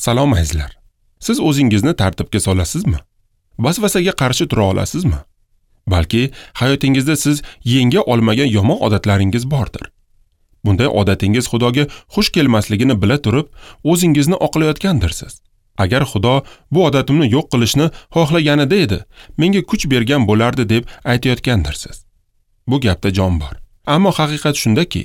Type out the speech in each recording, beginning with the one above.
Salom azizlar. Siz o'zingizni tartibga solasizmi? Vasvasaga qarshi tura olasizmi? Balki hayotingizda siz yenga olmagan yomon odatlaringiz bordir. Bunday odatingiz Xudoga xush kelmasligini bila turib, o'zingizni oqlayotgandirsiz. Agar Xudo bu odatimni yo'q qilishni xohlaganida edi, menga kuch bergan bo'lardi deb aytayotgandirsiz. Bu gapda jon bor. Ammo haqiqat shundaki,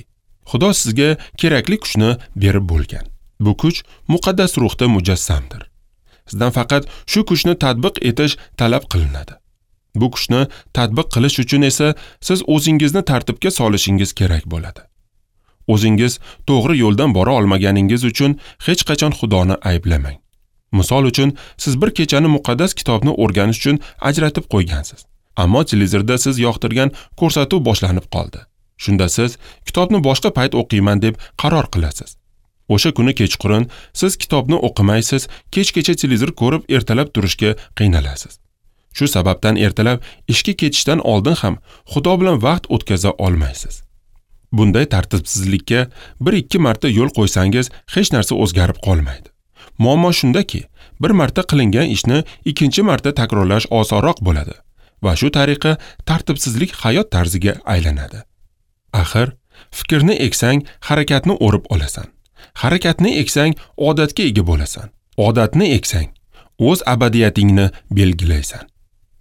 Xudo sizga kerakli kuchni berib bo'lgan. Bu kuch muqaddas ruhda mujassamdir. Sizdan faqat shu kuchni tatbiq etish talab qilinadi. Bu kuchni tatbiq qilish uchun esa siz o'zingizni tartibga solishingiz kerak bo'ladi. O'zingiz to'g'ri yo'ldan bora olmaganingiz uchun hech qachon Xudoni ayblamang. Misol uchun, siz bir kechani muqaddas kitobni o'rganish uchun ajratib qo'ygansiz. Ammo televizorda siz yoqtirgan ko'rsatuv boshlanib qoldi. Shunda siz kitobni boshqa payt o'qiyman deb qaror qilasiz. O'sha kuni kechqurun siz kitobni o'qimaysiz, kechgacha televizor ko'rib ertalab turishga qiynalasiz. Shu sababdan ertalab ishga ketishdan oldin ham Xudo bilan vaqt o'tkaza olmaysiz. Bunday tartibsizlikka 1-2 marta yo'l qo'ysangiz hech narsa o'zgarib qolmaydi. Muammo shundaki, bir marta qilingan ishni ikkinchi marta takrorlash osonroq bo'ladi va shu tariqa tartibsizlik hayot tarziga aylanadi. Axir, fikrni eksang, harakatni o'rib olasan. Harakatni eksang, odatga ega bo'lasan. Odatni eksang, o'z abadiyatingni belgilaysan.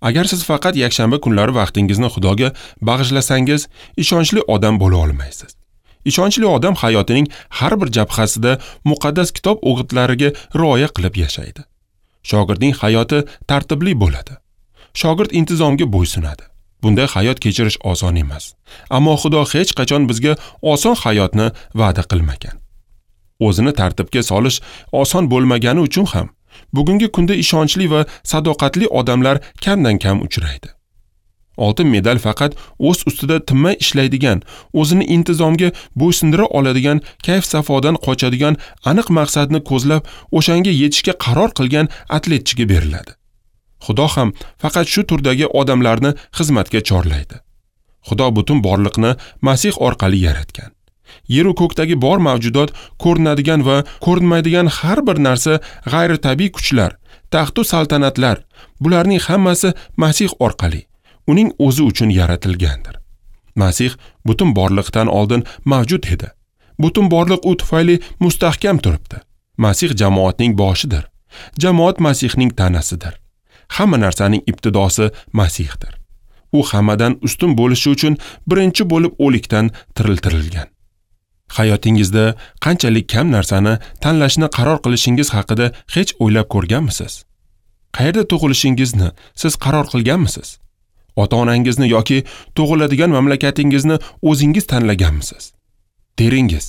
Agar siz faqat yakshanba kunlari vaqtingizni Xudoga bag'ishlasangiz, ishonchli odam bo'la olmaysiz. Ishonchli odam hayotining har bir jabhasida muqaddas kitob o'gitlariga rioya qilib yashaydi. Shogirdning hayoti tartibli bo'ladi. Shogird intizomga bo'ysunadi. Bunday hayot kechirish oson emas. Ammo Xudo hech qachon bizga oson hayotni va'da qilmagan. O'zini tartibga solish oson bo'lmagani uchun ham bugungi kunda ishonchli va sadoqatli odamlar kamdan-kam uchraydi. Oltin medal faqat o'z ustida tinmay ishlaydigan, o'zini intizomga bo'ysundira oladigan, kayf-safodan qochadigan, aniq maqsadni ko'zlab, o'shanga yetishga qaror qilgan atletchiga beriladi. Xudo ham faqat shu turdagi odamlarni xizmatga chorlaydi. Xudo butun borliqni Masih orqali yaratgan. Yer va ko'kdagi bor mavjudot, ko'rinadigan va ko'rinmaydigan har bir narsa, g'ayritabiiy kuchlar, taxtu saltanatlar, bularning hammasi Masih orqali, uning o'zi uchun yaratilgandir. Masih butun borliqdan oldin mavjud edi. Butun borliq u tufayli mustahkam turibdi. Masih jamoatning boshidir. Jamoat Masihning tanasidir. Hamma narsaning ibtidosi Masihdir. U hammadan ustun bo'lishi uchun birinchi bo'lib o'likdan tiriltirilgan. Hayotingizda qanchalik kam narsani tanlashni qaror qilishingiz haqida hech o'ylab ko'rganmisiz? Qayerda tug'ilishingizni siz qaror qilganmisiz? Ota-onangizni yoki tug'iladigan mamlakatingizni o'zingiz tanlaganmisiz? Teringiz,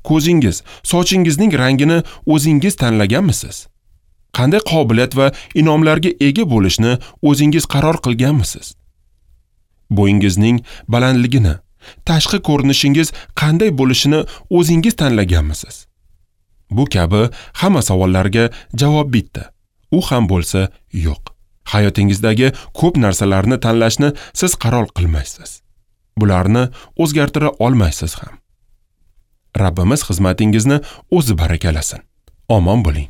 ko'zingiz, sochingizning rangini o'zingiz tanlaganmisiz? Qanday qobiliyat va inomlarga ega bo'lishni o'zingiz qaror qilganmisiz? Bo'yingizning balandligini, tashqi ko'rinishingiz qanday bo'lishini o'zingiz tanlaganmisiz? Bu kabi hamma savollarga javob bitta. U ham bo'lsa yo'q. Hayotingizdagi ko'p narsalarni tanlashni siz qaror qilmaysiz. Bularni o'zgartira olmaysiz ham. Rabbimiz xizmatingizni o'zi barakalasin. Omon bo'ling.